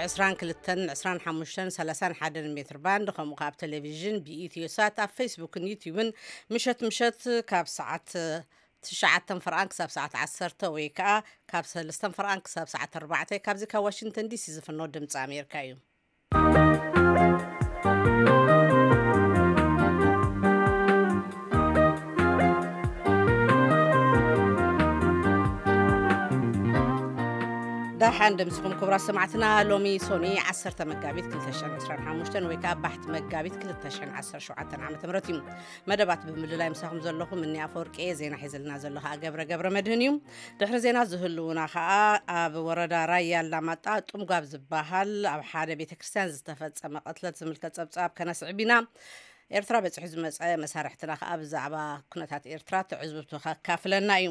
ዕስራን ክልተን ዕስራን ሓሙሽተን ሰላሳን ሓደን ሜትር ባንድ፣ ከምኡ ካብ ቴሌቪዥን ብኢትዮ ሳት ኣብ ፌስቡክን ዩቲዩብን ምሸት ምሸት ካብ ሰዓት ትሽዓተን ፈርቓን ክሳብ ሰዓት ዓሰርተ ወይ ከዓ ካብ ሰለስተን ፈርቓን ክሳብ ሰዓት ኣርባዕተ። ካብዚ ካብ ዋሽንግተን ዲሲ ዝፍኖ ድምፂ ኣሜሪካ እዩ። ደሓን ደምስኹም ክቡራት ሰማዕትና። ሎሚ ሶኒ ዓሰርተ መጋቢት ክልተ ሽሕን ዕስራን ሓሙሽተን ወይ ከዓ ባሕቲ መጋቢት ክልተ ሽሕን ዓሰርተ ሸውዓተን ዓመተ ምህረት እዩ። መደባት ብምልላይ ምሳኹም ዘለኹ ምኒ ኣፈወርቂ እየ። ዜና ሒዘልና ዘሎ ከዓ ገብረ ገብረ መድህን እዩ። ድሕሪ ዜና ዝህልውና ከዓ ኣብ ወረዳ ራያ ኣላማጣ ጡምጓብ ዝበሃል ኣብ ሓደ ቤተ ክርስቲያን ዝተፈጸመ ቅትለት ዝምልከት ጸብጻብ ከነስዕብ ኢና። ኤርትራ በጺሑ ዝመጸ መሳርሕትና ከዓ ብዛዕባ ኩነታት ኤርትራ ትዕዝብቱ ከካፍለና እዩ።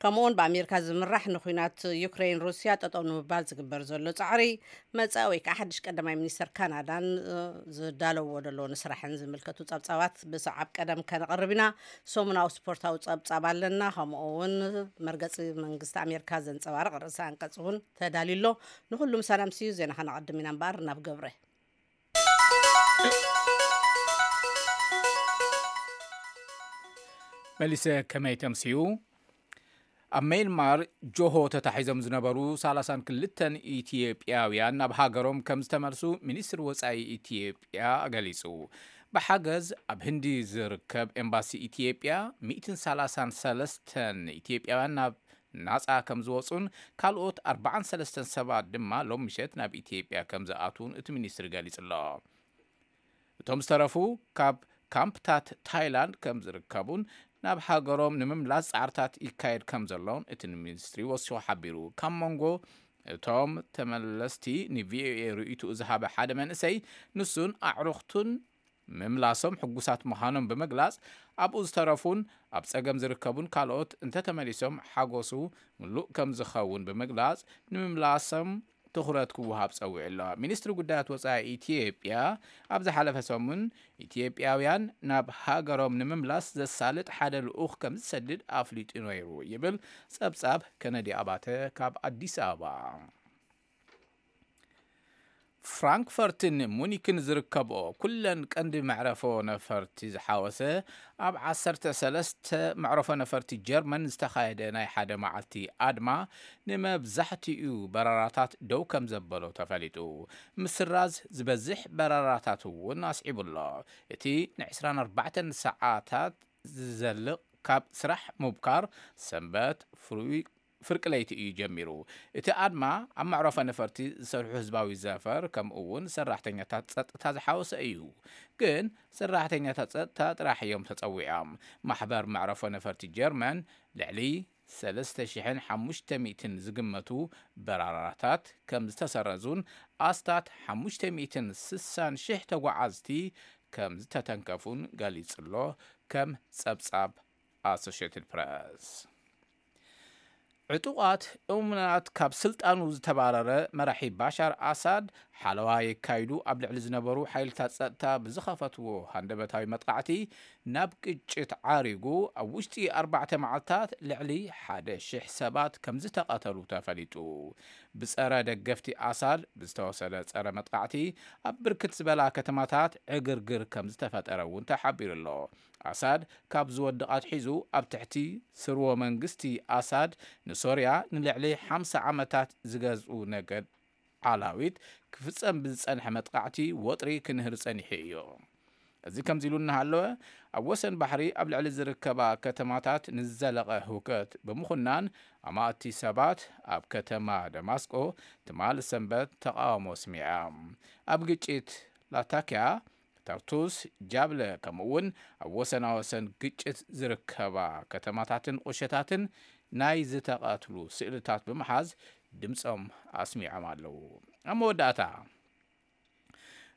ከምኡውን ብኣሜሪካ ዝምራሕ ንኩናት ዩክሬን ሩስያ ጠጠው ንምባል ዝግበር ዘሎ ጻዕሪ መጻኢ ወይ ከዓ ሓድሽ ቀዳማይ ሚኒስተር ካናዳን ዝዳለዎ ዘለዉ ንስራሕን ዝምልከቱ ጸብጻባት ብሰዓብ ቀደም ከነቕርብ ኢና። ሰሙናዊ ስፖርታዊ ጸብጻብ ኣለና። ከምኡ እውን መርገጺ መንግስቲ ኣሜሪካ ዘንጸባርቕ ርእሰ ኣንቀጽ እውን ተዳልዩ ኣሎ። ንኹሉ ምሳና ምስ እዩ ዜና ከነቐድም ኢና እምበኣር ናብ ገብረ። መሊሰ ከመይ ተምስዩ? ኣብ ሜንማር ጆሆ ተታሒዞም ዝነበሩ ሰላሳን ክልተን ኢትዮጵያውያን ናብ ሃገሮም ከም ዝተመልሱ ሚኒስትሪ ወጻኢ ኢትዮጵያ ገሊጹ። ብሓገዝ ኣብ ህንዲ ዝርከብ ኤምባሲ ኢትዮጵያ ሚእትን ሰላሳን ሰለስተን ኢትዮጵያውያን ናብ ናጻ ከም ዝወጹን ካልኦት ኣርባዓን ሰለስተን ሰባት ድማ ሎም ምሸት ናብ ኢትዮጵያ ከም ዝኣትዉን እቲ ሚኒስትሪ ገሊጹ ኣሎ። እቶም ዝተረፉ ካብ ካምፕታት ታይላንድ ከም ዝርከቡን ናብ ሃገሮም ንምምላስ ጻዕርታት ይካየድ ከም ዘሎን እቲ ሚኒስትሪ ወሲኹ ሓቢሩ። ካብ መንጎ እቶም ተመለስቲ ንቪኦኤ ርእይትኡ ዝሃበ ሓደ መንእሰይ ንሱን ኣዕሩኽቱን ምምላሶም ሕጉሳት ምዃኖም ብምግላጽ ኣብኡ ዝተረፉን ኣብ ጸገም ዝርከቡን ካልኦት እንተተመሊሶም ሓጎሱ ምሉእ ከም ዝኸውን ብምግላጽ ንምምላሶም ትኹረት ክወሃብ ጸዊዑ ኣሎ። ሚኒስትሪ ጉዳያት ወጻኢ ኢትዮጵያ ኣብ ዝሓለፈ ሰሙን ኢትዮጵያውያን ናብ ሃገሮም ንምምላስ ዘሳልጥ ሓደ ልኡኽ ከም ዝሰድድ ኣፍሊጡ ነይሩ ይብል ጸብጻብ ከነዲ ኣባተ ካብ ኣዲስ ኣበባ። ፍራንክፈርትን ሙኒክን ዝርከብኦ ኩለን ቀንዲ መዕረፎ ነፈርቲ ዝሓወሰ ኣብ ዓሰርተ ሰለስተ መዕረፎ ነፈርቲ ጀርመን ዝተኻየደ ናይ ሓደ መዓልቲ ኣድማ ንመብዛሕትኡ በረራታት ደው ከም ዘበሎ ተፈሊጡ። ምስራዝ ዝበዝሕ በረራታት እውን ኣስዒቡ ኣሎ። እቲ ንዕስራን ኣርባዕተን ሰዓታት ዝዘልቕ ካብ ስራሕ ምብካር ሰንበት ፍሩይ ፍርቂ ለይቲ እዩ ጀሚሩ። እቲ ኣድማ ኣብ መዕረፎ ነፈርቲ ዝሰርሑ ህዝባዊ ዘፈር ከምኡ እውን ሰራሕተኛታት ጸጥታ ዝሓወሰ እዩ። ግን ሰራሕተኛታት ጸጥታ ጥራሕ እዮም ተጸዊዖም። ማሕበር መዕረፎ ነፈርቲ ጀርመን ልዕሊ ሰለስተ ሽሕን ሓሙሽተ ሚእትን ዝግመቱ በራራታት ከም ዝተሰረዙን ኣስታት ሓሙሽተ ሚእትን ስሳን ሽሕ ተጓዓዝቲ ከም ዝተተንከፉን ገሊጹ ኣሎ። ከም ጸብጻብ ኣሶሽየትድ ፕረስ። ዕጡቓት እሙናት ካብ ስልጣኑ ዝተባረረ መራሒ ባሻር ኣሳድ ሓለዋ የካይዱ ኣብ ልዕሊ ዝነበሩ ሓይልታት ጸጥታ ብዝኸፈትዎ ሃንደበታዊ መጥቃዕቲ ናብ ግጭት ዓሪጉ ኣብ ውሽጢ ኣርባዕተ መዓልታት ልዕሊ ሓደ ሽሕ ሰባት ከም ዝተቐተሉ ተፈሊጡ። ብጸረ ደገፍቲ ኣሳድ ብዝተወሰደ ጸረ መጥቃዕቲ ኣብ ብርክት ዝበላ ከተማታት ዕግርግር ከም ዝተፈጠረ እውን ተሓቢሩ ኣሎ። ኣሳድ ካብ ዝወድቕ ኣትሒዙ ኣብ ትሕቲ ስርወ መንግስቲ ኣሳድ ንሶርያ ንልዕሊ ሓምሳ ዓመታት ዝገዝኡ ነገድ ዓላዊት ክፍጸም ብዝጸንሐ መጥቃዕቲ ወጥሪ ክንህር ጸኒሑ እዩ። እዚ ከምዚ ኢሉ እናሃለወ ኣብ ወሰን ባሕሪ ኣብ ልዕሊ ዝርከባ ከተማታት ንዝዘለቐ ህውከት ብምኹናን ኣማእቲ ሰባት ኣብ ከተማ ደማስቆ ትማል ሰንበት ተቃውሞ ኣስሚዓ። ኣብ ግጭት ላታኪያ፣ ተርቱስ፣ ጃብለ ከምኡ እውን ኣብ ወሰናወሰን ግጭት ዝርከባ ከተማታትን ቁሸታትን ናይ ዝተቐትሉ ስእልታት ብምሓዝ ድምፆም ኣስሚዖም ኣለዉ። ኣብ መወዳእታ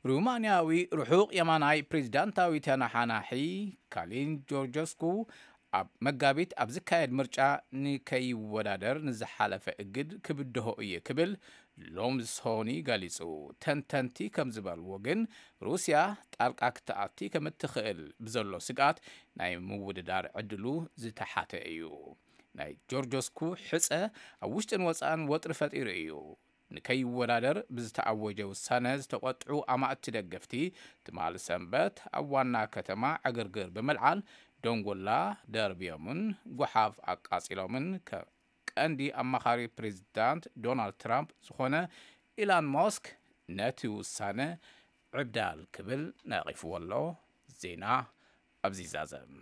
ሩማንያዊ ርሑቕ የማናይ ፕሬዚዳንታዊ ተነሓናሒ ካሊን ጆርጆስኩ ኣብ መጋቢት ኣብ ዝካየድ ምርጫ ንከይወዳደር ንዝሓለፈ እግድ ክብድሆ እየ ክብል ሎም ሶኒ ገሊጹ። ተንተንቲ ከም ዝበልዎ ግን ሩስያ ጣልቃ ክትኣቲ ከም እትኽእል ብዘሎ ስግኣት ናይ ምውድዳር ዕድሉ ዝተሓተ እዩ። ናይ ጆርጆስኩ ሕጸ ኣብ ውሽጥን ወጻእን ወጥሪ ፈጢሩ እዩ። ንከይወዳደር ብዝተኣወጀ ውሳነ ዝተቖጥዑ ኣማእቲ ደገፍቲ፣ ትማሊ ሰንበት ኣብ ዋና ከተማ ዕግርግር ብምልዓል ደንጎላ ደርብዮምን ጓሓፍ ኣቃጺሎምን፣ ከ-፣ ቀንዲ ኣማኻሪ ፕሬዚዳንት ዶናልድ ትራምፕ ዝኾነ ኢላን ሞስክ ነቲ ውሳነ ዕብዳል ክብል ነቒፍዎ ኣሎ። ዜና ኣብዚ ይዛዘም።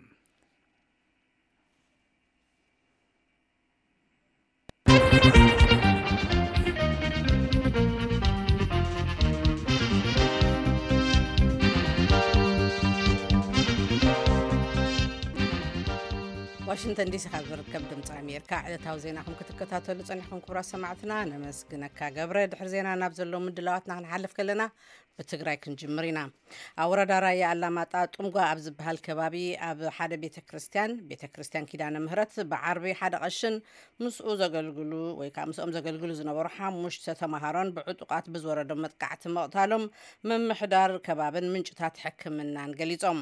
ዋሽንግተን ዲሲ ካብ ዝርከብ ድምፂ ኣሜሪካ ዕለታዊ ዜናኹም ክትከታተሉ ጸኒሕኩም ክቡራት ሰማዕትና ነመስግነካ ገብረ። ድሕሪ ዜና ናብ ዘለዉ ምድላዋትና ክንሓልፍ ከለና ብትግራይ ክንጅምር ኢና። ኣብ ወረዳ ራያ ኣላማጣ ጡምጓ ኣብ ዝበሃል ከባቢ ኣብ ሓደ ቤተ ክርስቲያን፣ ቤተ ክርስቲያን ኪዳነ ምህረት ብዓርቢ ሓደ ቀሽን ምስኡ ዘገልግሉ ወይ ከዓ ምስኦም ዘገልግሉ ዝነበሩ ሓሙሽተ ተምሃሮን ብዕጡቓት ብዝወረዶም መጥቃዕቲ ምቕታሎም ምምሕዳር ከባብን ምንጭታት ሕክምናን ገሊጾም።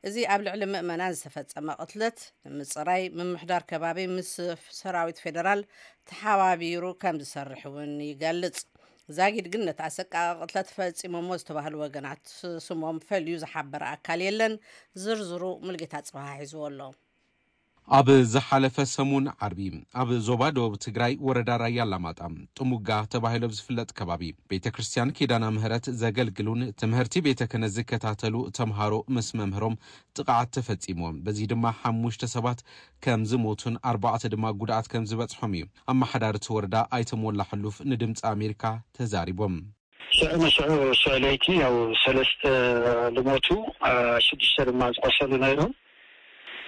እዚ ኣብ ልዕሊ ምእመናን ዝተፈጸመ ቅትለት ንምጽራይ ምምሕዳር ከባቢ ምስ ሰራዊት ፌደራል ተሓባቢሩ ከም ዝሰርሕ እውን ይገልጽ። ዛጊድ ግን ነቲ ኣሰቃቂ ቅትለት ፈጺሞሞ ዝተባህሉ ወገናት ስሞም ፈልዩ ዝሓበረ ኣካል የለን። ዝርዝሩ ሙልጌታ ጽባሃ ሒዝዎ ኣሎ። ኣብ ዝሓለፈ ሰሙን ዓርቢ ኣብ ዞባ ደቡብ ትግራይ ወረዳ ራያ ኣላማጣ ጥሙጋ ተባሂሉ ኣብ ዝፍለጥ ከባቢ ቤተ ክርስቲያን ኪዳና ምህረት ዘገልግሉን ትምህርቲ ቤተ ክህነት ዝከታተሉ ተምሃሮ ምስ መምህሮም ጥቕዓት ተፈጺምዎም። በዚ ድማ ሓሙሽተ ሰባት ከም ዝሞቱን ኣርባዕተ ድማ ጉድኣት ከም ዝበጽሖም እዩ ኣመሓዳሪ እቲ ወረዳ ኣይተ ሞላ ሕሉፍ ንድምፂ ኣሜሪካ ተዛሪቦም። ሽዑ ንሽዑ ሽዑ ለይቲ ያው ሰለስተ ዝሞቱ፣ አ፣ ሽዱሽተ ድማ ዝቆሰሉ ነይሮም።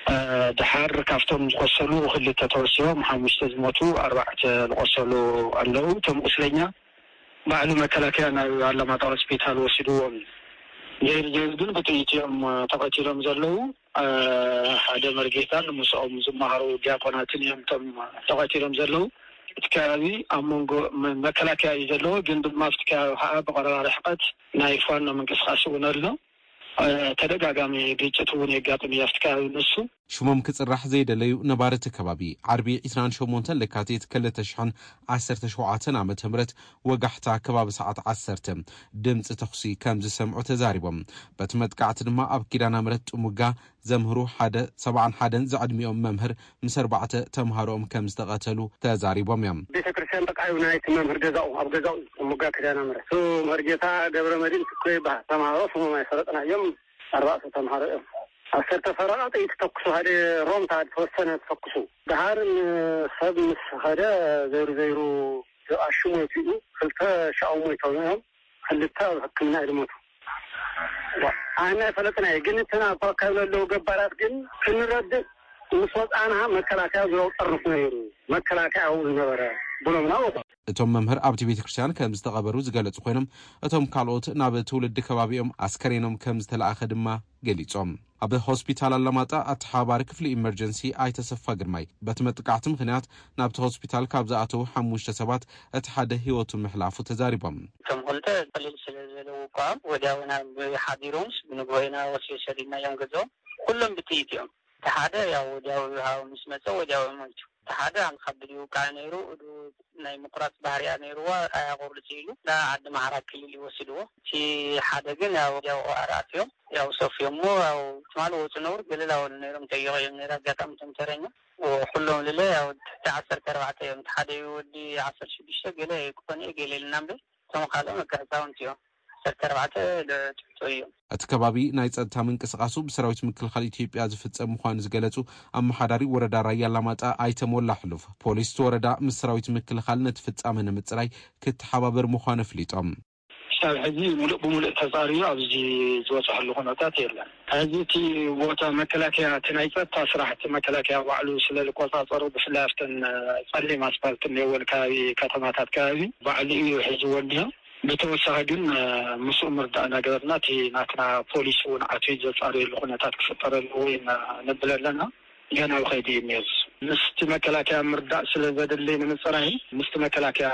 አ፣ ድሓር ካብቶም ዝቆሰሉ ክልተ ተወሲቦም፣ ሓሙሽተ ዝሞቱ፣ ኣርባዕተ ዝቆሰሉ ኣለዉ። እቶም ቁስለኛ ባዕሉ መከላከያ ናብ ኣላማጣ ሆስፒታል ወሲድዎም። ዘይሩ ዘይሩ ግን ብጥይት እዮም ተቐቲሎም ዘለዉ። አ፣ ሓደ መርጌታን ምስኦም ዝመሃሩ ዲያቆናትን እዮም እቶም ተቐቲሎም ዘለዉ። እቲ ከባቢ ኣብ መንጎ መ-፣ መከላከያ እዩ ዘለዎ፣ ግን ድማ ኣብቲ ከባቢ ከዓ ብቐረባ ርሕቀት ናይ ፋኖ ምንቅስቃስ እውን ኣሎ። አ፣ ተደጋጋሚ ግጭት እውን የጋጥም እዩ ኣብቲ ከባቢ ንሱ። ሽሞም ክጽራሕ ዘይደለዩ ነባሪ እቲ ከባቢ፣ ዓርቢ ዕስራን ሸሞንተን ለካቲት ክልተ ሽሕን ዓሰርተ ሸውዓተን ዓመተ ምህረት ወጋሕታ ከባቢ ሰዓት ዓሰርተ ድምጺ ተኹሲ ከም ዝሰምዑ ተዛሪቦም። በቲ መጥቃዕቲ ድማ ኣብ ኪዳነ ምህረት ጥሙጋ ዘምህሩ ሓደ ሰብዓን ሓደን ዝዕድሚኦም መምህር ምስ ኣርባዕተ ተምሃሮኦም ከም ዝተቐተሉ ተዛሪቦም እዮም። ቤተ ክርስቲያን ጥቃዩ ናይቲ መምህር ገዛኡ፣ ኣብ ገዛኡ ጥሙጋ ኪዳነ ምህረት። እሱ መርጌታ ገብረ መድህን ትኮ ይበሃል። ተምሃሮ ስሞም ኣይፈለጥናዮም። ኣርባዕተ ተምሃሮ እዮም። ዓሰርተ ፈረቓ ጥይት ተኩሱ፣ ሓደ ሮምታ ዝተወሰነ ተኩሱ። ደሃር ንሰብ ምስ ኸደ ዘይሩ ዘይሩ ኣሽሙ ወፂኡ፣ ክልተ ሻው ሞይቶም እዮም። ክልተ ኣብ ሕክምና እዩ ዝሞቱ። ኣነ ኣይፈለጥናይ፣ ግን እተን ኣብ ኣካባቢ ዘለዉ ገባራት ግን ክንረድእ ምስ ወፃና መከላከያ ዙሪያው ጠርንፉ ነይሩ፣ መከላከያ ኣብኡ ዝነበረ ብሎምና ወፁ። እቶም መምህር ኣብቲ ቤተ ክርስቲያን ከም ዝተቐበሩ ዝገለጹ ኮይኖም፣ እቶም ካልኦት ናብ ትውልዲ ከባቢኦም ኣስከሬኖም ከም ዝተላእኸ ድማ ገሊጾም። ኣብ ሆስፒታል ኣላማጣ ኣተሓባባሪ ክፍሊ ኢመርጀንሲ ኣይተ ሰፋ ግርማይ፣ በቲ መጥቃዕቲ ምኽንያት ናብቲ ሆስፒታል ካብ ዝኣተዉ ሓሙሽተ ሰባት እቲ ሓደ ህይወቱ ምሕላፉ ተዛሪቦም። እቶም ክልተ ቀሊል ስለ ዝበለ ውቃዖም ወዲያውና ብሓዲሮምስ ብንግሆ ኢና ወስዮ ሰዲድናዮም ገዝኦም። ኩሎም ብጥይት እዮም። እቲ ሓደ ያው ወዲያው ሃው ምስ መጸ ወዲያው ሞይቱ። እቲ ሓደ ኣልኻብድ ይውቃዕ ነይሩ፣ እዱ ናይ ምቁራጽ ባህርያ ነይርዋ፣ ኣያቆርጽ ኢሉ ናብ ዓዲ ማሕራ ክልል ይወስድዎ። እቲ ሓደ ግን ያው ወዲያው ኣርኣትዮም፣ ያው ሰፍዮሞ፣ ያው ትማሊ ወጹ ነብሩ ገለ ላወሉ ነይሮም፣ ጠይቆ እዮም ነይሩ። ኣጋጣሚ እቶም ተረኛ ኩሎም ልለ ያው ትሕቲ ዓሰርተ ኣርባዕተ እዮም። እቲ ሓደ እዩ ወዲ ዓሰርተ ሽዱሽተ፣ ገለ ክኾነ እዩ ገለ ኢልና እምበር፣ እቶም ካልኦም በቃ ህፃውንቲ እዮም። ዓሰርተ ኣርባዕተ ትሕቶ እዮም። እቲ ከባቢ ናይ ጸጥታ ምንቅስቃሱ ብሰራዊት ምክልኻል ኢትዮጵያ ዝፍጸም ምዃኑ ዝገለጹ ኣመሓዳሪ ወረዳ ራያ ኣላማጣ ኣይተ ሞላ ሕሉፍ፣ ፖሊስ እቲ ወረዳ ምስ ሰራዊት ምክልኻል ነቲ ፍጻመ ንምጽራይ ክተሓባበር ምዃኑ ኣፍሊጦም። ክሳብ ሕዚ ሙሉእ ብሙሉእ ተጻርዩ ኣብዚ ዝበጽሐሉ ኩነታት የለን። ሕዚ እቲ ቦታ መከላከያ፣ እቲ ናይ ጸጥታ ስራሕ እቲ መከላከያ ባዕሉ ስለ ዝቆጻጸሩ፣ ብፍላይ ኣብተን ጸሊም ኣስፓልት እኒአወን ከባቢ ከተማታት ከባቢ ባዕሉ እዩ ሒዝዎ እኒኦ። ብተወሳኺ ግን፣ እ፣ ምስኡ ምርዳእ እናገበርና እቲ ናትና ፖሊስ እውን ኣትዩ ዘጻርየሉ ኩነታት ክፍጠር ኣለዎ ኢና ንብል ኣለና። ገና ኣብ ኸይዲ እዩ እኒኦ። ምስቲ መከላከያ ምርዳእ ስለ ዘድሊ ንምፅራይ ምስቲ መከላከያ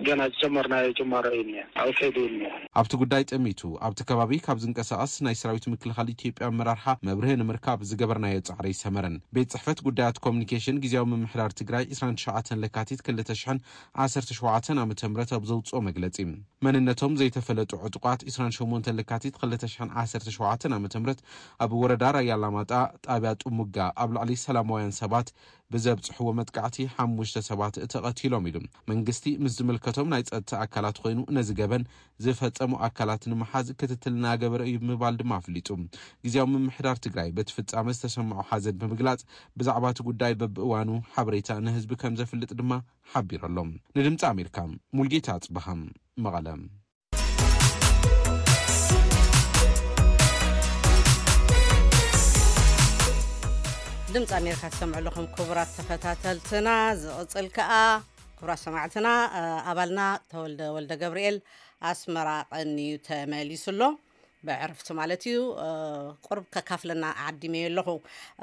ገና ዝጀመርናዮ ጅማሮ እዩ እኒአ፣ ኣብ ከይዲ እዩ እኒአ። ኣብቲ ጉዳይ ጠሚቱ ኣብቲ ከባቢ ካብ ዝንቀሳቐስ ናይ ሰራዊት ምክልኻል ኢትዮጵያ ኣመራርሓ መብርሂ ንምርካብ ዝገበርናዮ ጻዕሪ ኣይሰመረን። ቤት ጽሕፈት ጉዳያት ኮሚኒኬሽን ግዜያዊ ምምሕዳር ትግራይ ዕስራን ትሽዓተን ለካቲት ክልተ ሽሕን ዓሰርተ ሸውዓተን ዓመተ ምህረት ኣብ ዘውጽኦ መግለጺ፣ መንነቶም ዘይተፈለጡ ዕጡቓት ዕስራን ሸሞንተን ለካቲት ክልተ ሽሕን ዓሰርተ ሸውዓተን ዓመተ ምህረት ኣብ ወረዳ ራያ ኣላማጣ ጣብያ ጥሙጋ ኣብ ልዕሊ ሰላማውያን ሰባት ብዘብጽሕዎ መጥቃዕቲ ሓሙሽተ ሰባት ተቐቲሎም ኢሉ። መንግስቲ ምስ ዝምልከቶም ናይ ጸጥታ ኣካላት ኮይኑ ነዚ ገበን ዝፈጸሙ ኣካላት ንምሓዝ ክትትል እናገበረ እዩ ምባል ድማ ኣፍሊጡ። ግዜያዊ ምምሕዳር ትግራይ በቲ ፍጻመ ዝተሰምዖ ሓዘን ብምግላጽ ብዛዕባ እቲ ጉዳይ በብእዋኑ ሓበሬታ ንህዝቢ ከም ዘፍልጥ ድማ ሓቢሩ ኣሎ። ንድምፂ ኣሜሪካ ሙልጌታ ኣጽብሃ፣ መቐለ። ድምፂ ኣሜሪካ ትሰምዑ ኣለኹም ክቡራት ተኸታተልትና። ዝቕፅል ከኣ ክቡራት ሰማዕትና፣ እ፣ ኣባልና ተወልደ ወልደ ገብርኤል ኣስመራ ቀንዩ ተመሊሱ ኣሎ። ብዕርፍቲ ማለት እዩ። እ፣ ቁርብ ከካፍለና ዓዲመዮ ኣለኹ።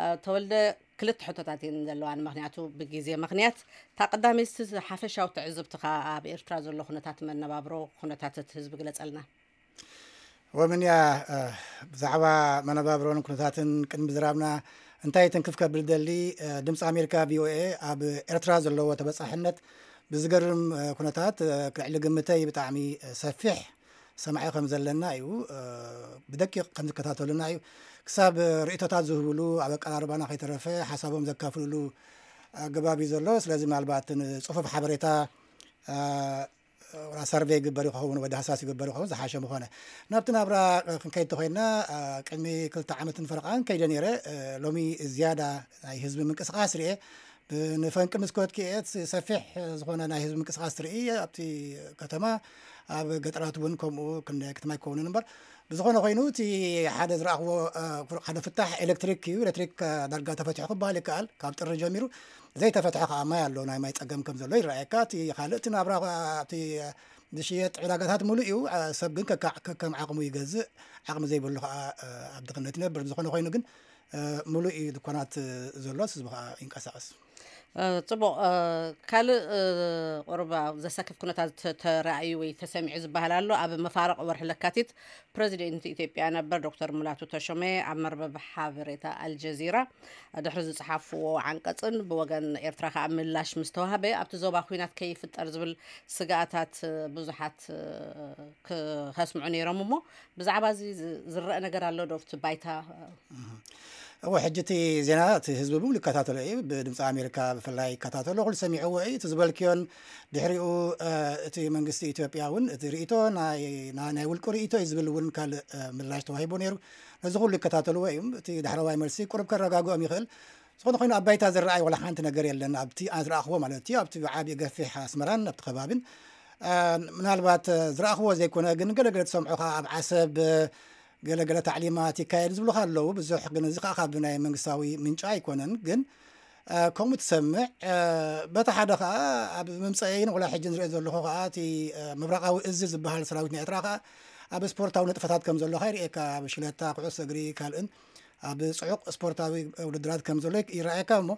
እ፣ ተወልደ፣ ክልተ ሕቶታት እየን ዘለዋን፣ ምኽንያቱ ብግዜ ምኽንያት። እታ ቀዳመይቲ፣ ሓፈሻዊ ትዕዝብትኻ ኣብ ኤርትራ ዘሎ ኩነታት መነባብሮ፣ ኩነታት እቲ ህዝቢ ግለጸልና። ወምንያ፣ እ፣ ብዛዕባ መነባብሮን ኩነታትን ቅድሚ ዝራብና እንታይ ትንክፍ ከብል ደሊ፣ እ፣ ድምፂ ኣሜሪካ ቪ ኦ ኤ ኣብ ኤርትራ ዘለዎ ተበጻሕነት ብዝገርም፣ እ፣ ኩነታት፣ እ፣ ልዕሊ ግምተይ ብጣዕሚ፣ እ፣ ሰፊሕ ሰማዒ ከም ዘለና እዩ፣ እ፣ ብደቂቕ ከም ዝከታተሉና እዩ። ክሳብ ርእይቶታት ዝህብሉ ኣብ ኣቀራርባና ከይተረፈ ሓሳቦም ዘካፍልሉ ኣገባብ እዩ ዘሎ። ስለዚ ምናልባት ንጽፉፍ ሓበሬታ፣ እ፣ ወላ ሰርቬይ ይግበር ይኸውን ወይ ዳህሳስ ይግበር ይኸውን ዝሓሸ ምኾነ። ናብቲ ናብራ ክንከይድ ተኾይንና፣ እ፣ ቅድሚ ክልተ ዓመትን ፈረቓን ከይደ ነይረ። እ፣ ሎሚ ዝያዳ ናይ ህዝቢ ምንቅስቓስ ርኤ። ብ-፣ ንፈንቂ ምስ ከድኪ እየ፣ እቲ ሰፊሕ ዝኾነ ናይ ህዝቢ ምንቅስቓስ ትርኢ ኣብቲ ከተማ። ኣብ ገጠራት እውን ከምኡ ክንደይ ክትማ ኣይከውንን እምበር፣ ብዝኾነ ኮይኑ እቲ ሓደ ዝረኣኽዎ፣ እ፣ ሓደ ፍታሕ ኤሌክትሪክ እዩ። ኤሌክትሪክ፣ እ፣ ዳርጋ ተፈቲሑ ክበሃል ይከኣል። ካብ ጥሪ ጀሚሩ ዘይተፈትሐ ከዓ ማይ ኣሎ፣ ናይ ማይ ጸገም ከም ዘሎ ይረኣየካ። እቲ ካልእ እቲ ናብራ፣ እቲ ዝሽየጥ ዕዳጋታት ሙሉእ እዩ። እ፣ ሰብ ግን ከካ-፣ ከከም ዓቕሙ ይገዝእ፣ ዓቕሚ ዘይብሉ ከዓ፣ እ፣ ኣብ ድኽነት ይነብር። ብዝኾነ ኮይኑ ግን፣ እ፣ ሙሉእ እዩ ድኳናት፣ እ፣ ዘሎ፣ ህዝቢ ከዓ ይንቀሳቐስ። እ፣ ጽቡቕ። እ፣ ካልእ፣ እ፣ ቁሩብ ኣብ ዘሰክፍ ኩነታት ተ-፣ ተራእዩ ወይ ተሰሚዑ ዝበሃል ኣሎ። ኣብ መፋርቕ ወርሒ ለካቲት ፕረዚደንት ኢትዮጵያ ነበር ዶክተር ሙላቱ ተሾመ ኣብ መርበብ ሓበሬታ ኣልጀዚራ ድሕሪ ዝጸሓፍዎ ዓንቀጽን ብወገን ኤርትራ ከኣ ምላሽ ምስ ተዋህበ ኣብቲ ዞባ ኲናት ከይፍጠር ዝብል ስግኣታት ብዙሓት፣ እ፣ ክኸስምዑ ነይሮም እሞ ብዛዕባ እዚ ዝ-፣ ዝረአ ነገር ኣሎ ዶ ኣብቲ ባይታ? እወ፣ ሕጂ እቲ ዜና እቲ ህዝቢ ብምሉእ ይከታተሎ እዩ። ብድምፂ ኣሜሪካ ብፍላይ ይከታተሎ፣ ኩሉ ሰሚዕዎ እዩ። እቲ ዝበልክዮን ድሕሪኡ፣ እ፣ እቲ መንግስቲ ኢትዮጵያ እውን እቲ ርእይቶ ናይ፣ ናይ፣ ናይ ውልቁ ርእይቶ እዩ ዝብል እውን ካልእ፣ እ፣ ምላሽ ተዋሂቡ ነይሩ። ነዚ ኩሉ ይከታተልዎ እዮም። እቲ ዳሕረዋይ መልሲ ቁሩብ ከረጋግኦም ይኽእል። ዝኾነ ኮይኑ ኣብ ባይታ ዝረኣይ ዋላ ሓንቲ ነገር የለን። ኣብቲ ኣነ ዝረኣኽዎ ማለት እዩ። ኣብቲ ዓቢ ገፊሕ ኣስመራን ኣብቲ ከባቢን፣ እ፣ ምናልባት፣ እ፣ ዝረኣኽዎ ዘይኮነ ግን ገለገለ ትሰምዖ ኸዓ ኣብ ዓሰብ፣ እ፣ ገለገለ ታዕሊማት ይካየድ ዝብሉኻ ኣለዉ። ብዙሕ ግን እዚ ኸዓ ካብ ናይ መንግስታዊ ምንጪ ኣይኮነን። ግን፣ እ፣ ከምኡ ትሰምዕ። እ፣ በቲ ሓደ ኸዓ ኣብ መምጸኢን ወላ ሕጂ ንሪኦ ዘለኹ ኸዓ እቲ፣ እ፣ ምብራቓዊ እዚ ዝበሃል ሰራዊት ናይ ኤርትራ ኸዓ ኣብ ስፖርታዊ ንጥፈታት ከም ዘሎ ኸዓ ይርእየካ። ኣብ ሽለታ፣ ኩዕሶ እግሪ፣ ካልእን ኣብ ጽዑቕ ስፖርታዊ ውድድራት ከም ዘሎ ይረኣየካ። እሞ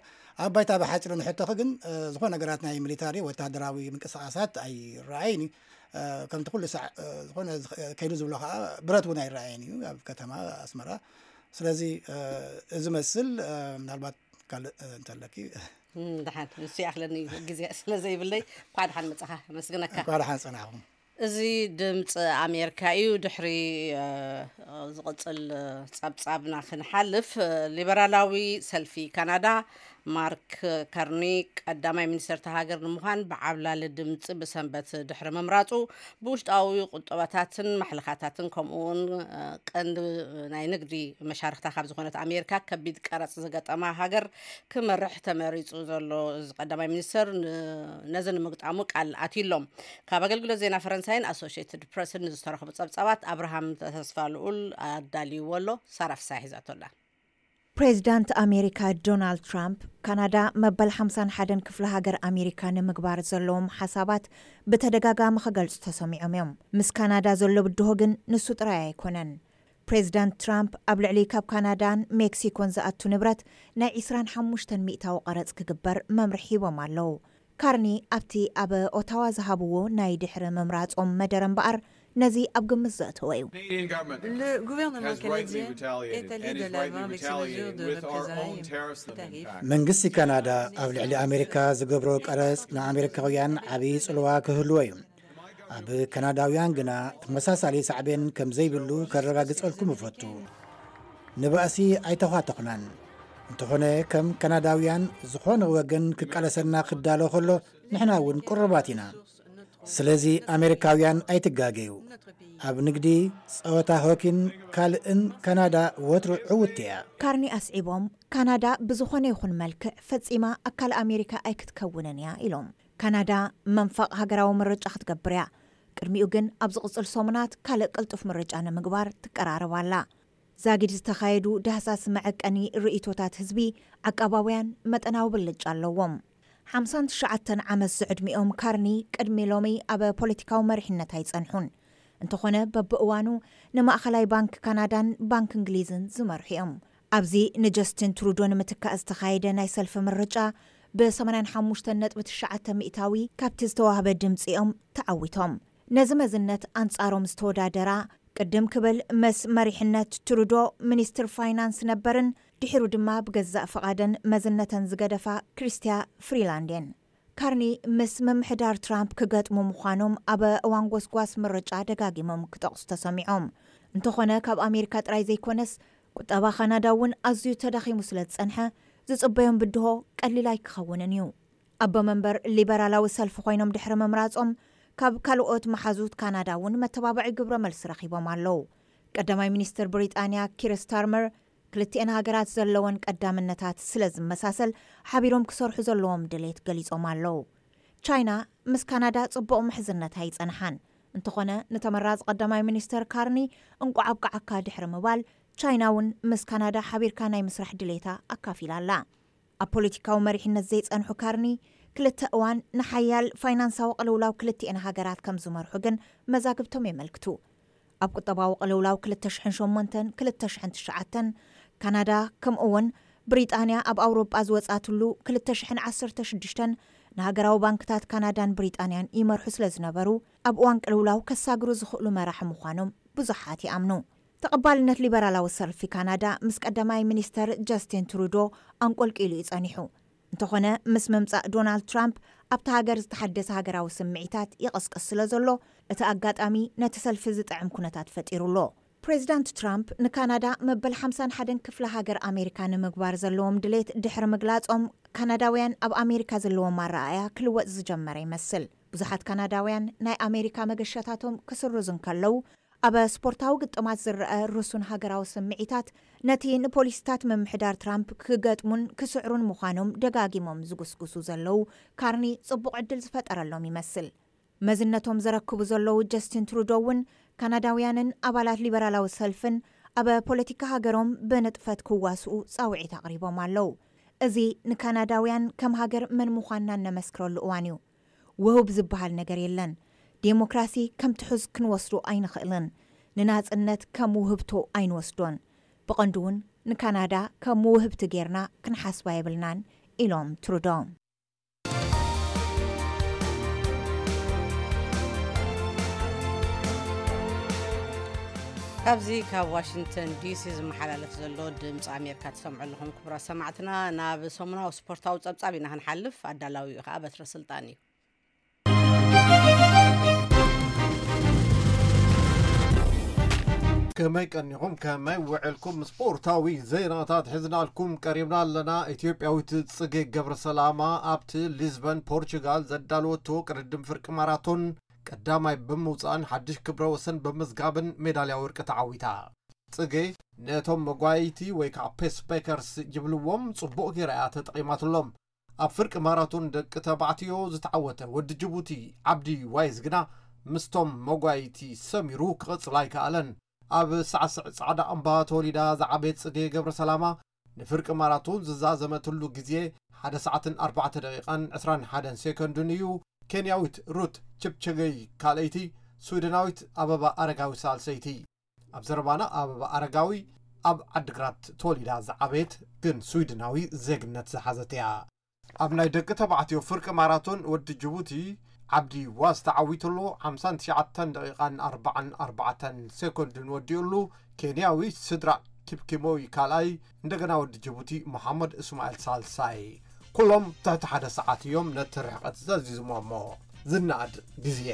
ኣብ ባይታ ብሓጺሩ ንሕቶኺ ግን፣ እ፣ ዝኾነ ነገራት ናይ ሚሊታሪ ወተሃደራዊ ምንቅስቓሳት ኣይረኣይን እዩ። እ፣ ከምቲ ኩሉ ሳዕ፣ እ፣ ዝኾነ ዝኸ-፣ ከይዱ ዝብሎ ኸዓ ብረት እውን ኣይረኣየን እዩ ኣብ ከተማ ኣስመራ። ስለዚ፣ እ፣ እዚ መስል፣ እ፣ ምናልባት ካልእ፣ እ፣ እንተለኪ። እም፣ ደሓን፣ ንሱ ይኣኽለኒ እዩ፣ ግዜ ስለ ዘይብለይ። እንኳዕ ደሓን መጻኻ፣ ኣመስግነካ። እንኳዕ ደሓን ጸናሕኩም። እዚ ድምፂ ኣሜሪካ እዩ። ድሕሪ፣ እ፣ ዝቕፅል፣ እ፣ ጸብጻብና ክንሓልፍ፣ እ፣ ሊበራላዊ ሰልፊ ካናዳ ማርክ ካርኒ ቀዳማይ ሚኒስተር እታ ሃገር ንምዃን ብዓብላሊ ድምፂ ብሰንበት ድሕሪ ምምራፁ ብውሽጣዊ ቁጠባታትን ማሕለኻታትን ከምኡ እውን፣ እ፣ ቀንዲ ናይ ንግዲ መሻርኽታ ካብ ዝኾነት ኣሜሪካ ከቢድ ቀረፅ ዝገጠማ ሃገር ክመርሕ ተመሪጹ ዘሎ እዚ ቀዳማይ ሚኒስተር ን-፣ ነዚ ንምግጣሙ ቃል ኣትዩ ኣሎ። ካብ ኣገልግሎት ዜና ፈረንሳይን ኣሶሽየትድ ፕረስን ንዝተረኽቡ ጸብጻባት ኣብርሃም ተስፋ ልኡል ኣዳልይዎ ኣሎ። ሳራ ፍሳሐ ሒዛቶ ኣላ። ፕሬዚዳንት ኣሜሪካ ዶናልድ ትራምፕ ካናዳ መበል ሓምሳን ሓደን ክፍለ ሃገር ኣሜሪካ ንምግባር ዘለዎም ሓሳባት ብተደጋጋሚ ክገልጹ ተሰሚዖም እዮም። ምስ ካናዳ ዘሎ ብድሆ ግን ንሱ ጥራይ ኣይኮነን። ፕሬዚዳንት ትራምፕ ኣብ ልዕሊ ካብ ካናዳን ሜክሲኮን ዝኣቱ ንብረት ናይ ዕስራን ሓሙሽተን ሚእታዊ ቀረጽ ክግበር መምርሒ ሂቦም ኣለዉ። ካርኒ ኣብቲ ኣብ ኦታዋ ዝሃብዎ ናይ ድሕሪ ምምራጾም መደረ እምበኣር ነዚ ኣብ ግምት ዘእተወ እዩ። Le gouvernement canadien est allé de l'avant avec ses mesures de représailles et tarifs. መንግስቲ ካናዳ ኣብ ልዕሊ ኣሜሪካ ዝገብሮ ቀረጽ ንኣሜሪካውያን ዓብዪ ጽልዋ ክህልዎ እዩ። ኣብ ካናዳውያን ግና ተመሳሳሊ ሳዕቤን ከም ዘይብሉ ከረጋግጸልኩም እፈቱ። ንባእሲ ኣይተዃተኹናን። እንተኾነ ከም ካናዳውያን ዝኾነ ወገን ክቃለሰና ክዳሎ ከሎ ንሕና እውን ቅሩባት ኢና። ስለዚ ኣሜሪካውያን ኣይትጋገዩ። ኣብ ንግዲ፣ ጸወታ ሆኪን ካልእን ካናዳ ወትሩ ዕውቲ እያ። ካርኒ ኣስዒቦም፣ ካናዳ ብዝኾነ ይኹን መልክዕ ፈጺማ ኣካል ኣሜሪካ ኣይክትከውንን እያ ኢሎም። ካናዳ መንፋቕ ሃገራዊ ምርጫ ክትገብር እያ። ቅድሚኡ ግን ኣብ ዝቕጽል ሰሙናት ካልእ ቅልጡፍ ምርጫ ንምግባር ትቀራረብ ኣላ። ዛጊድ ዝተኻየዱ ዳህሳስ መዐቀኒ ርእይቶታት ህዝቢ ዓቃባውያን መጠናዊ ብልጫ ኣለዎም። ሓምሳን ትሽዓተን ዓመት ዝዕድሚኦም ካርኒ ቅድሚ ሎሚ ኣብ ፖለቲካዊ መሪሕነት ኣይጸንሑን። እንተኾነ በብእዋኑ ንማእኸላይ ባንክ ካናዳን ባንክ እንግሊዝን ዝመርሑ እዮም። ኣብዚ ንጀስቲን ትሩዶ ንምትካእ ዝተኻየደ ናይ ሰልፊ ምርጫ ብ ሰማንያን ሓሙሽተን ነጥቢ ትሽዓተ ሚእታዊ ካብቲ ዝተዋህበ ድምፂ እዮም ተዓዊቶም። ነዚ መዝነት ኣንጻሮም ዝተወዳደራ ቅድም ክብል ምስ መሪሕነት ትሩዶ ሚኒስትር ፋይናንስ ነበርን ድሒሩ ድማ ብገዛእ ፍቓደን መዝነተን ዝገደፋ ክሪስትያ ፍሪላንድ እየን። ካርኒ ምስ ምምሕዳር ትራምፕ ክገጥሙ ምዃኖም ኣብ እዋን ጎስጓስ ምርጫ ደጋጊሞም ክጠቕሱ ተሰሚዖም። እንተኾነ ካብ ኣሜሪካ ጥራይ ዘይኮነስ ቁጠባ ካናዳ እውን ኣዝዩ ተዳኺሙ ስለ ዝጸንሐ ዝጽበዮም ብድሆ ቀሊል ኣይክኸውንን እዩ። ኣቦ መንበር ሊበራላዊ ሰልፊ ኮይኖም ድሕሪ ምምራጾም ካብ ካልኦት መሓዙት ካናዳ እውን መተባብዒ ግብረ መልሲ ረኺቦም ኣለዉ። ቀዳማይ ሚኒስትር ብሪጣንያ ኪር ስታርመር ክልቲኤን ሃገራት ዘለወን ቀዳምነታት ስለ ዝመሳሰል ሓቢሮም ክሰርሑ ዘለዎም ድሌት ገሊጾም ኣለዉ። ቻይና ምስ ካናዳ ጽቡቕ ምሕዝነታ ኣይጸንሓን። እንተኾነ ንተመራጺ ቀዳማይ ሚኒስተር ካርኒ እንቋዕ ኣብቃዓካ ድሕሪ ምባል ቻይና እውን ምስ ካናዳ ሓቢርካ ናይ ምስራሕ ድሌታ ኣካፊላ ኣላ። ኣብ ፖለቲካዊ መሪሕነት ዘይጸንሑ ካርኒ ክልተ እዋን ንሓያል ፋይናንሳዊ ቅልውላው ክልቲኤን ሃገራት ከም ዝመርሑ ግን መዛግብቶም የመልክቱ። ኣብ ቁጠባዊ ቅልውላው ክልተ ሽሕን ሸሞንተን ክልተ ሽሕን ትሽዓተን ካናዳ ከምኡ እውን ብሪጣንያ ኣብ ኣውሮጳ ዝወጻትሉ ክልተ ሽሕን ዓሰርተ ሽዱሽተን ንሃገራዊ ባንክታት ካናዳን ብሪጣንያን ይመርሑ ስለ ዝነበሩ ኣብ እዋን ቅልውላው ከሳግሩ ዝኽእሉ መራሒ ምዃኖም ብዙሓት ይኣምኑ። ተቐባልነት ሊበራላዊ ሰልፊ ካናዳ ምስ ቀዳማይ ሚኒስተር ጀስቲን ትሩዶ ኣንቆልቂሉ እዩ ጸኒሑ። እንተኾነ ምስ ምምጻእ ዶናልድ ትራምፕ ኣብቲ ሃገር ዝተሓደሰ ሃገራዊ ስምዒታት ይቐስቅስ ስለ ዘሎ እቲ ኣጋጣሚ ነቲ ሰልፊ ዝጥዕም ኩነታት ፈጢሩ ኣሎ። ፕሬዚዳንት ትራምፕ ንካናዳ መበል ሓምሳን ሓደን ክፍለ ሃገር ኣሜሪካ ንምግባር ዘለዎም ድሌት ድሕሪ ምግላጾም ካናዳውያን ኣብ ኣሜሪካ ዘለዎም ኣረኣእያ ክልወጥ ዝጀመረ ይመስል። ብዙሓት ካናዳውያን ናይ ኣሜሪካ መገሻታቶም ክስርዙ እንከለዉ ኣብ ስፖርታዊ ግጥማት ዝረአ ርሱን ሃገራዊ ስምዒታት ነቲ ንፖሊሲታት ምምሕዳር ትራምፕ ክገጥሙን ክስዕሩን ምዃኖም ደጋጊሞም ዝጉስጉሱ ዘለዉ ካርኒ ጽቡቕ ዕድል ዝፈጠረሎም ይመስል። መዝነቶም ዘረክቡ ዘለዉ ጀስቲን ትሩዶ እውን ካናዳውያንን ኣባላት ሊበራላዊ ሰልፍን ኣብ ፖለቲካ ሃገሮም ብንጥፈት ክዋስኡ ጻውዒት ኣቕሪቦም ኣለዉ። እዚ ንካናዳውያን ከም ሃገር መን ምዃንና እነመስክረሉ እዋን እዩ። ውሁብ ዝበሃል ነገር የለን። ዴሞክራሲ ከም ትሑዝ ክንወስዶ ኣይንኽእልን። ንናጽነት ከም ውህብቶ ኣይንወስዶን። ብቐንዱ እውን ንካናዳ ከም ውህብቲ ጌርና ክንሓስባ የብልናን ኢሎም ትሩዶ። ካብዚ ካብ ዋሽንግተን ዲሲ ዝመሓላለፍ ዘሎ ድምፂ ኣሜሪካ ትሰምዑ ኣለኹም ክቡራት ሰማዕትና። ናብ ሰሙናዊ ስፖርታዊ ፀብፃብ ኢና ክንሓልፍ። ኣዳላዊኡ ከዓ በትረ ስልጣን እዩ። ከመይ ቀኒኹም ከመይ ውዕልኩም? ስፖርታዊ ዜናታት ሒዝናልኩም ቀሪብና ኣለና። ኢትዮጵያዊት ፅጌ ገብረ ሰላማ ኣብቲ ሊዝበን ፖርቹጋል ዘዳለወቶ ቅድድም ፍርቂ ማራቶን ቀዳማይ ብምውፃእን ሓድሽ ክብረ ወሰን ብምዝጋብን ሜዳልያ ወርቂ ተዓዊታ። ፅጌ ነቶም መጓየይቲ ወይ ከዓ ፔስ ፔከርስ ይብልዎም ፅቡቕ ጌራ እያ ተጠቒማትሎም። ኣብ ፍርቂ ማራቶን ደቂ ተባዕትዮ ዝተዓወተ ወዲ ጅቡቲ ዓብዲ ዋይዝ ግና ምስቶም መጓይቲ ሰሚሩ ክቕጽል ኣይከኣለን። ኣብ ሳዕስዕ ጻዕዳ እምባ ተወሊዳ ዝዓበየት ጽጌ ገብረ ሰላማ ንፍርቂ ማራቶን ዝዛዘመትሉ ግዜ ሓደ ሰዓትን ኣርባዕተ ደቂቓን ዕስራን ሓደን ሴኮንድን እዩ። ኬንያዊት ሩት ችፕቸገይ ካልኣይቲ፣ ስዊድናዊት ኣበባ ኣረጋዊ ሳልሰይቲ። ኣብ ዘረባና ኣበባ ኣረጋዊ ኣብ ዓድግራት ተወሊዳ ዝዓበየት ግን ስዊድናዊ ዜግነት ዝሓዘት እያ። ኣብ ናይ ደቂ ተባዕትዮ ፍርቂ ማራቶን ወዲ ጅቡቲ ዓብዲ ዋዝ ተዓዊቱ ኣሎ። ሓምሳን ትሽዓተን ደቂቓን ኣርባዓን ኣርባዕተን ሴኮንድን ወዲኡ ኣሎ። ኬንያዊ ስድራ ኪፕኪሞይ ካልኣይ፣ እንደገና ወዲ ጅቡቲ መሓመድ እስማኤል ሳልሳይ። ኩሎም ትሕቲ ሓደ ሰዓት እዮም ነቲ ርሕቀት ዘዚዝሞ እሞ ዝነኣድ ግዜ።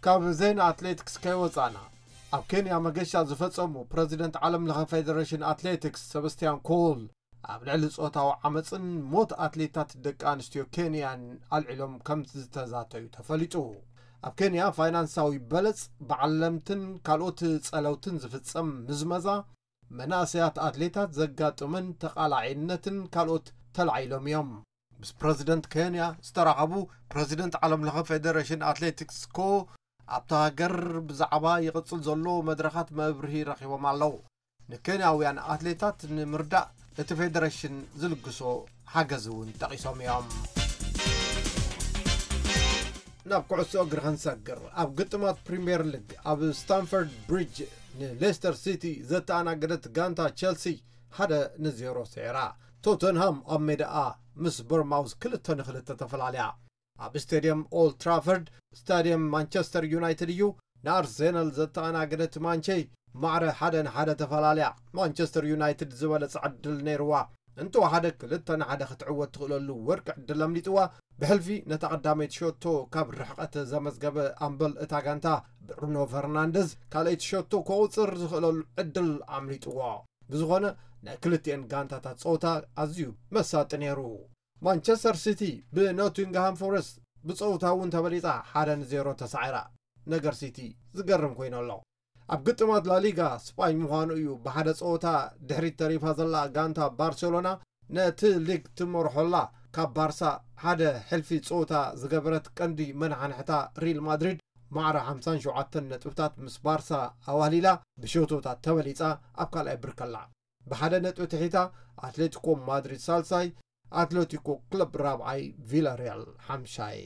ካብ ዜና ኣትሌቲክስ ከይወጻና፣ ኣብ ኬንያ መገሻ ዝፈጸሙ ፕረዚደንት ዓለም ለኸ ፌደሬሽን ኣትሌቲክስ ሰበስቲያን ኮል ኣብ ልዕሊ ጾታዊ ዓመጽን ሞት ኣትሌታት ደቂ ኣንስትዮ ኬንያን ኣልዒሎም ከም ዝተዛተዩ ተፈሊጡ። ኣብ ኬንያ ፋይናንሳዊ በለጽ፣ በዓል ለምትን ካልኦት ጸለውትን ዝፍጸም ምዝመዛ፣ መናእሰያት ኣትሌታት ዘጋጥምን ተቓላዒነትን ካልኦት ተላዒሎም እዮም። ምስ ፕረዚደንት ኬንያ ዝተራኸቡ ፕረዚደንት ዓለም ለኸ ፌደሬሽን ኣትሌቲክስ ኮ ኣብታ ሃገር ብዛዕባ ይቕጽል ዘሎ መድረኻት መብርሂ ረኺቦም ኣለዉ። ንኬንያውያን ኣትሌታት ንምርዳእ እቲ ፌደሬሽን ዝልግሶ ሓገዝ እውን ጠቒሶም እዮም። ናብ ኩዕሶ እግሪ ክንሰግር፣ ኣብ ግጥማት ፕሪምየር ሊግ ኣብ ስታንፈርድ ብሪጅ ንሌስተር ሲቲ ዘተኣናገደት ጋንታ ቸልሲ ሓደ ንዜሮ ስዒራ። ቶተንሃም ኣብ ሜዳኣ ምስ በርማውዝ ክልተ ንክልተ ተፈላለያ። ኣብ ስቴድየም ኦልድ ትራፈርድ፣ ስታድየም ማንቸስተር ዩናይትድ እዩ፣ ንኣርሴናል ዘተኣናገደት ማንቸይ ማዕረ ሓደ ንሓደ ተፈላለያ። ማንቸስተር ዩናይትድ ዝበለጸ ዕድል ነይርዋ፣ እንተወሓደ ክልተ ንሓደ ክትዕወት ትኽእለሉ ወርቂ ዕድል ኣምሊጥዋ። ብሕልፊ ነታ ቀዳመይቲ ሸቶ ካብ ርሕቀት ዘመዝገበ ኣምበል እታ ጋንታ ብሩኖ ፈርናንደዝ ካልኣይቲ ሸቶ ከቑጽር ዝኽእለሉ ዕድል ኣምሊጥዎ። ብዝኾነ ናይ ክልቲኤን ጋንታታት ጸወታ ኣዝዩ መሳጢ ነይሩ። ማንቸስተር ሲቲ ብኖቲንግሃም ፎረስት ብጸወታ እውን ተበሊጻ ሓደ ንዜሮ ተሳዒራ። ነገር ሲቲ ዝገርም ኮይኑ ኣሎ። ኣብ ግጥማት ላሊጋ ስጳኝ ምዃኑ እዩ። ብሓደ ጸወታ ድሕሪት ተሪፋ ዘላ ጋንታ ባርሴሎና ነቲ ሊግ ትመርሖላ ካብ ባርሳ ሓደ ሕልፊ ጸወታ ዝገበረት ቀንዲ መናሓንሕታ ሪል ማድሪድ ማዕረ ሓምሳን ሸውዓተን ነጥብታት ምስ ባርሳ ኣዋህሊላ ብሸቶታት ተበሊጻ ኣብ ካልኣይ ብርክ ኣላ። ብሓደ ነጥቢ ትሒታ ኣትሌቲኮ ማድሪድ ሳልሳይ፣ ኣትሌቲኮ ክለብ ራብዓይ፣ ቪላሪያል ሓምሻይ።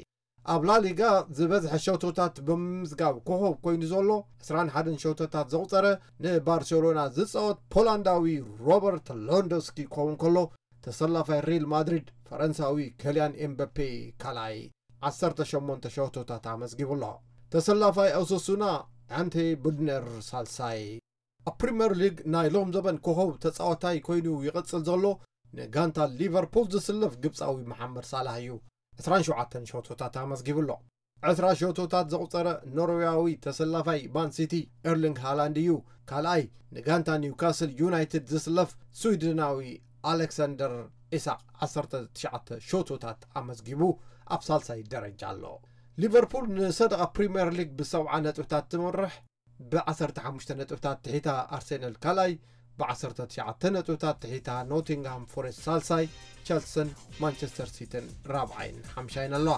ኣብ ላሊጋ ዝበዝሐ ሸቶታት ብምምዝጋብ ኮኾብ ኮይኑ ዘሎ ዕስራን ሓደን ሸቶታት ዘቑጸረ ንባርሴሎና ዝጻወት ፖላንዳዊ ሮበርት ሎንዶስኪ ክኸውን ከሎ፣ ተሰላፋይ ሪል ማድሪድ ፈረንሳዊ ከልያን ኤምበፔ ካልኣይ ዓሰርተ ሸሞንተ ሸቶታት ኣመዝጊቡ ኣሎ። ተሰላፋይ ኦሰሱና ኣንቴ ቡድነር ሳልሳይ። ኣብ ፕሪምየር ሊግ ናይ ሎም ዘበን ኮኾብ ተጻዋታይ ኮይኑ ይቕጽል ዘሎ ንጋንታ ሊቨርፑል ዝስለፍ ግብጻዊ መሓመድ ሳላህ እዩ። ዕስራን ሸውዓተን ሸቶታት ኣመዝጊቡ ኣሎ። ዕስራ ሸቶታት ዘቑጸረ ኖርዌያዊ ተሰላፋይ ማን ሲቲ ኤርሊንግ ሃላንድ እዩ። ካልኣይ ንጋንታ ኒውካስል ዩናይትድ ዝስለፍ ስዊድናዊ ኣሌክሳንደር ኢሳቅ ዓሰርተ ትሽዓተ ሸቶታት ኣመዝጊቡ ኣብ ሳልሳይ ደረጃ ኣሎ። ሊቨርፑል ንሰደቓ ፕሪምየር ሊግ ብሰብዓ ነጥብታት ትመርሕ። ብዓሰርተ ሓሙሽተ ነጥብታት ትሒታ ኣርሴናል ካልኣይ፣ ብዓሰርተ ትሽዓተ ነጥብታት ትሒታ ኖቲንግሃም ፎረስት ሳልሳይ፣ ቸልስን ማንቸስተር ሲቲን ራብዓይን ሓምሻይን ኣለዋ።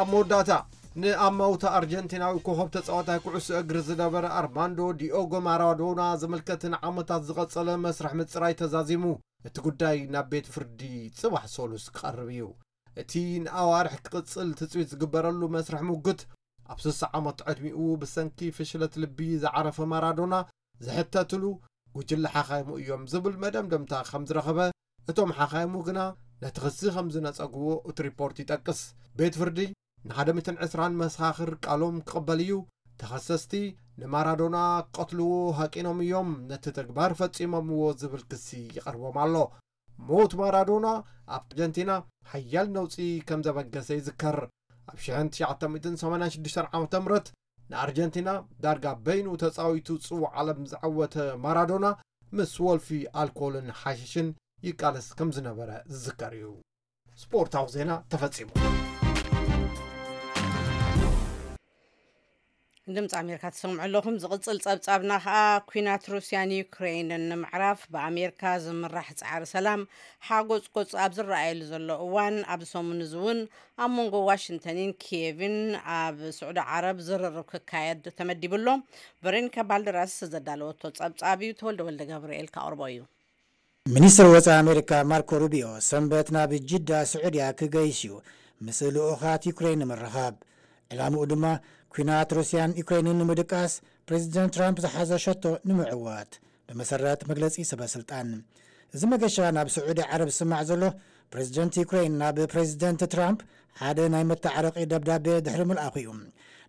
ኣብ መወዳእታ ንኣማውታ ኣርጀንቲናዊ ኮኸብ ተጻዋታይ ኩዕሶ እግሪ ዝነበረ ኣርማንዶ ዲኦጎ ማራዶና ዝምልከት ንዓመታት ዝቐጸለ መስርሕ ምጽራይ ተዛዚሙ። እቲ ጉዳይ ናብ ቤት ፍርዲ ጽባሕ ሰሉስ ክቐርብ እዩ። እቲ ንኣዋርሕ ክቕጽል ትጽቢት ዝግበረሉ መስርሕ ሙግት፣ ኣብ ስሳ ዓመት ዕድሚኡ ብሰንኪ ፍሽለት ልቢ ዝዓረፈ ማራዶና ዝሕተትሉ ጉጅለ ሓኻይሙ እዮም ዝብል መደምደምታ ከም ዝረኸበ፣ እቶም ሓኻይሙ ግና ነቲ ክሲ ከም ዝነጸግዎ እቲ ሪፖርት ይጠቅስ። ቤት ፍርዲ ንሓደ ሚእትን ዕስራን መሰኻኽር ቃሎም ክቕበል እዩ። ተኸሰስቲ ንማራዶና ክቐትልዎ ሃቂኖም እዮም ነቲ ተግባር ፈጺሞምዎ ዝብል ክሲ ይቐርቦም ኣሎ። ሞት ማራዶና ኣብ ኣርጀንቲና ሓያል ነውጺ ከም ዘበገሰ ይዝከር። ኣብ ሽሕን ትሽዓተ ሚእትን ሰማንያን ሽዱሽተን ዓመተ ምህረት ንኣርጀንቲና ዳርጋ በይኑ ተጻዊቱ ጽዋዕ ዓለም ዝዓወተ ማራዶና ምስ ወልፊ ኣልኮልን ሓሽሽን ይቃለስ ከም ዝነበረ ዝዝከር እዩ። ስፖርታዊ ዜና ተፈጺሙ። ድምፂ ኣሜሪካ ትሰምዑ ኣለኹም። ዝቕፅል ፀብፃብና ከዓ፣ ኲናት ሩስያን ዩክሬንን ንምዕራፍ ብኣሜሪካ ዝምራሕ ፃዕሪ ሰላም ሓጎፅጎፅ ኣብ ዝረኣየሉ ዘሎ እዋን፣ ኣብዚ ሰሙን እዚ እውን ኣብ መንጎ ዋሽንግተንን ኪየቭን ኣብ ስዑዲ ዓረብ ዝርርብ ክካየድ ተመዲቡ ኣሎ። ቨሮኒካ ባልደራስ ዘዳለወቶ ፀብፃብ እዩ፣ ተወልደ ወልደ ገብርኤል ከቕርቦ እዩ። ሚኒስትር ወፃኢ ኣሜሪካ ማርኮ ሩቢዮ ሰንበት ናብ ጅዳ ስዑድያ ክገይሽ እዩ፣ ምስ ልኡኻት ዩክሬን ንምርኻብ። ዕላምኡ ድማ ኲናት ሩስያን ዩክሬንን ንምድቃስ ፕሬዚደንት ትራምፕ ዝሓዞ ሸቶ ንምዕዋት፣ ብመሰረት መግለጺ ሰበ ስልጣን። እዚ መገሻ ናብ ስዑዲ ዓረብ ዝስማዕ ዘሎ፣ ፕሬዚደንት ዩክሬን ናብ ፕሬዚደንት ትራምፕ ሓደ ናይ መተዓረቒ ደብዳቤ ድሕሪ ምልኣኹ እዩ።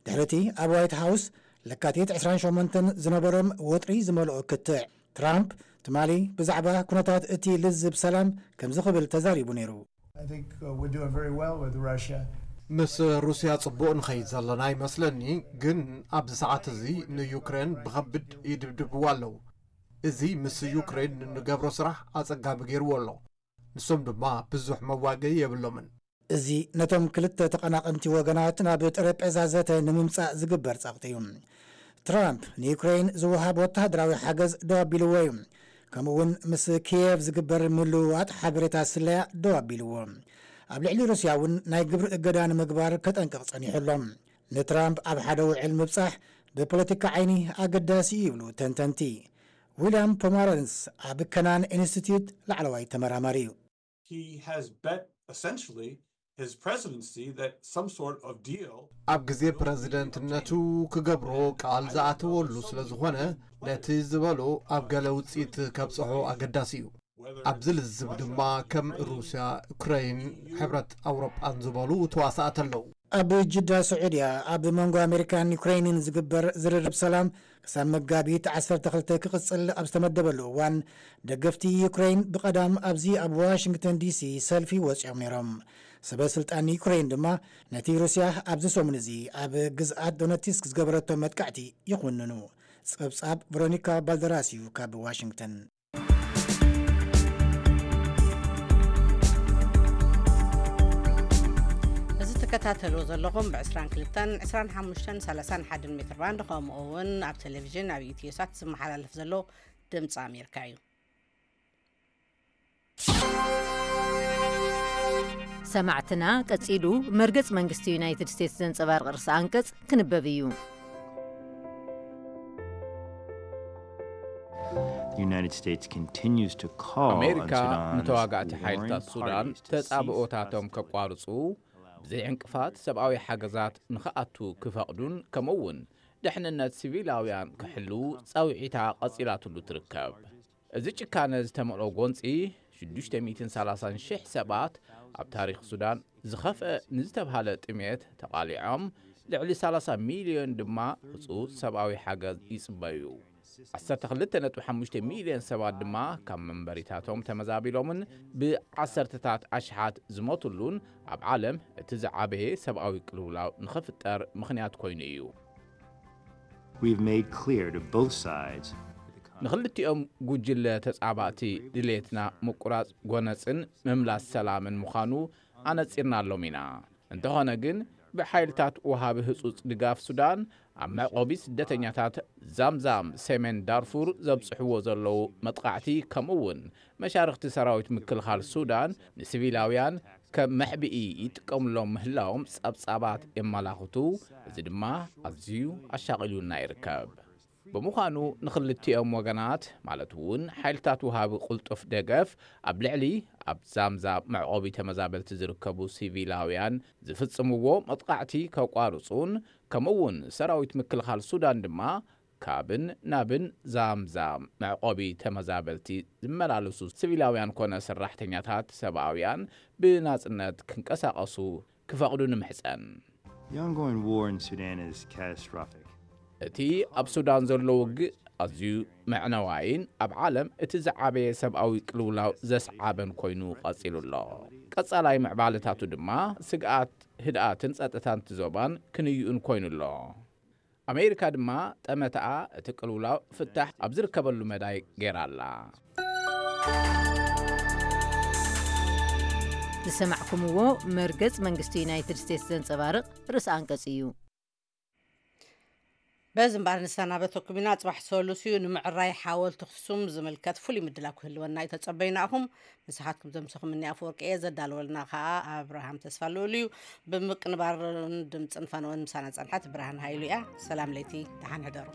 ድሕሪቲ ኣብ ዋይት ሃውስ ለካቲት ዕስራን ሸሞንተን ዝነበሮም ወጥሪ ዝመልኦ ክትዕ፣ ትራምፕ ትማሊ ብዛዕባ ኩነታት እቲ ልዝብ ሰላም ከምዚ ክብል ተዛሪቡ ነይሩ። I think uh, we're doing very well with Russia. ምስ ሩስያ ጽቡቕ ንኸይድ ዘለና ይመስለኒ፣ ግን ኣብዚ ሰዓት እዚ ንዩክሬን ብኸብድ ይድብድብዋ ኣለዉ። እዚ ምስ ዩክሬን ንገብሮ ስራሕ ኣጸጋሚ ገይርዎ ኣሎ። ንሶም ድማ ብዙሕ መዋገኢ የብሎምን። እዚ ነቶም ክልተ ተቐናቐንቲ ወገናት ናብ ጠረጴዛ ዘተ ንምምጻእ ዝግበር ጸቕጢ እዩ። ትራምፕ ንዩክሬን ዝወሃብ ወተሃደራዊ ሓገዝ ደው ኣቢልዎ እዩ። ከምኡ እውን ምስ ኪየቭ ዝግበር ምልውዋጥ ሓበሬታ ስለያ ደው ኣቢልዎ። ኣብ ልዕሊ ሩስያ እውን ናይ ግብሪ እገዳ ንምግባር ከጠንቅቕ ጸኒሑ ኣሎ። ንትራምፕ ኣብ ሓደ ውዕል ምብጻሕ ብፖለቲካ ዓይኒ ኣገዳሲ እዩ ይብሉ ተንተንቲ። ዊልያም ፖማረንስ ኣብ ከናን ኢንስቲትዩት ላዕለዋይ ተመራማሪ እዩ። He has bet essentially his presidency that some sort of deal ኣብ ግዜ ፕረዚደንትነቱ ክገብሮ ቃል ዝኣተወሉ ስለ ዝኾነ፣ ነቲ ዝበሎ ኣብ ገለ ውፅኢት ከብፅሖ ኣገዳሲ እዩ። ኣብዚ ልዝብ ድማ ከም ሩስያ፣ ዩክረይን፣ ሕብረት ኣውሮጳን ዝበሉ ተዋሳእቲ ኣለዉ። ኣብ ጅዳ ስዑድያ ኣብ መንጎ ኣሜሪካን ዩክረይንን ዝግበር ዝርርብ ሰላም ክሳብ መጋቢት ዓሰርተ ክልተ ክቕጽል ኣብ ዝተመደበሉ እዋን፣ ደገፍቲ ዩክረይን ብቐዳም ኣብዚ ኣብ ዋሽንግተን ዲሲ ሰልፊ ወጺኦም ነይሮም። ሰበ ስልጣን ዩክረይን ድማ ነቲ ሩስያ ኣብዚ ሰሙን እዚ ኣብ ግዝኣት ዶነትስክ ዝገበረቶ መጥቃዕቲ ይኹንኑ። ጸብጻብ ቨሮኒካ ባልደራስ እዩ ካብ ዋሽንግተን። እዚ ትከታተልዎ ዘለኹም ብ22 25 31 ሜትር ባንድ፣ ከምኡ እውን ኣብ ቴሌቪዥን ኣብ ኢትዮሳት ዝመሓላለፍ ዘሎ ድምፂ ኣሜሪካ እዩ። ሰማዕትና፣ ቀጺሉ መርገጽ መንግስቲ ዩናይትድ ስቴትስ ዘንጸባርቕ ርእሰ ኣንቀጽ ክንበብ እዩ። The United States continues to call on ኣሜሪካ Sudan's ንተዋጋእቲ warring ሓይልታት ሱዳን parties to cease ተጻብኦታቶም hostilities. ከቋርጹ፣ ብዘይ ዕንቅፋት ሰብኣዊ ሓገዛት ንኽኣቱ ክፈቕዱን ከምኡ እውን ድሕንነት ሲቪላውያን ክሕልዉ ጻውዒታ ቀጺላትሉ ትርከብ። እዚ ጭካነ ዝተመልኦ ጎንጺ ሽዱሽተ ሚእትን ሰላሳን ሽሕ ሰባት ኣብ ታሪኽ ሱዳን ዝኸፍአ ንዝተብሃለ ጥሜት ተቓሊዖም፣ ልዕሊ ሰላሳ ሚልዮን ድማ ህጹጽ ሰብኣዊ ሓገዝ ይጽበዩ። ዓሰርተ ክልተ ነጥቢ ሓሙሽተ ሚልዮን ሰባት ድማ ካብ መንበሪታቶም ተመዛቢሎምን ብዓሰርተታት ኣሽሓት ዝሞትሉን፣ ኣብ ዓለም እቲ ዝዓበየ ሰብኣዊ ቅልውላው ንኽፍጠር ምኽንያት ኮይኑ እዩ። We've made clear to both sides ንኽልቲኦም ጉጅለ ተጻባእቲ ድሌትና ምቁራጽ ጎነጽን ምምላስ ሰላምን ምዃኑ ኣነጺርናሎም ኢና። እንተኾነ ግን፣ ብሓይልታት ወሃቢ ህጹጽ ድጋፍ ሱዳን ኣብ መዕቆቢ ስደተኛታት ዛምዛም ሰሜን ዳርፉር ዘብጽሕዎ ዘለዉ መጥቓዕቲ፣ ከምኡ እውን መሻርኽቲ ሰራዊት ምክልኻል ሱዳን ንሲቪላውያን ከም መሕብኢ ይጥቀምሎም ምህላዎም ጸብጻባት የመላኽቱ። እዚ ድማ ኣዝዩ ኣሻቒሉና ይርከብ። ብምዃኑ፣ ንኽልቲኦም ወገናት፣ ማለት እውን ሓይልታት ወሃቢ ቅልጡፍ ደገፍ ኣብ ልዕሊ ኣብ ዛምዛም መዕቆቢ ተመዛበልቲ ዝርከቡ ሲቪላውያን ዝፍጽምዎ መጥቓዕቲ ከቋርጹን፣ ከምኡ እውን ሰራዊት ምክልኻል ሱዳን ድማ ካብን ናብን ዛምዛም መዕቆቢ ተመዛበልቲ ዝመላለሱ ሲቪላውያን ኮነ ሰራሕተኛታት ሰብኣውያን ብናጽነት ክንቀሳቐሱ ክፈቕዱ ንምሕጸን። The ongoing war in Sudan is catastrophic. እቲ ኣብ ሱዳን ዘሎ ውግእ ኣዝዩ መዕነዋይን ኣብ ዓለም እቲ ዝዓበየ ሰብኣዊ ቅልውላው ዘስዓበን ኮይኑ ቀጺሉ ኣሎ። ቀጻላይ ምዕባለታቱ ድማ ስግኣት ህድኣትን ጸጥታን እቲ ዞባን ክንዩኡን ኮይኑ ኣሎ። ኣሜሪካ ድማ ጠመተኣ እቲ ቅልውላው ፍታሕ ኣብ ዝርከበሉ መዳይ ገይራ ኣላ። ዝሰማዕኩምዎ መርገጽ መንግስቲ ዩናይትድ ስቴትስ ዘንጸባርቕ ርእሰ ኣንቀጽ እዩ። በዚ እምበኣር ንሰናበተኩም ኢና። ጽባሕ ሰሉስ እዩ። ንምዕራይ ሓወልቲ ኣኽሱም ዝምልከት ፍሉይ ምድላው ክህልወና እዩ። ተጸበዩናኹም። ንስኻትኩም ዘምሰኹምኒ ኣፈወርቂ እየ። ዘዳለወልና ኸኣ ኣብርሃም ተስፋ ልኡል እዩ። ብምቅንባርን ድምጽን ፋንወን ምሳና ጸንሐት ብርሃን ሃይሉ እያ። ሰላም ለይቲ፣ ደሓን ሕደሩ።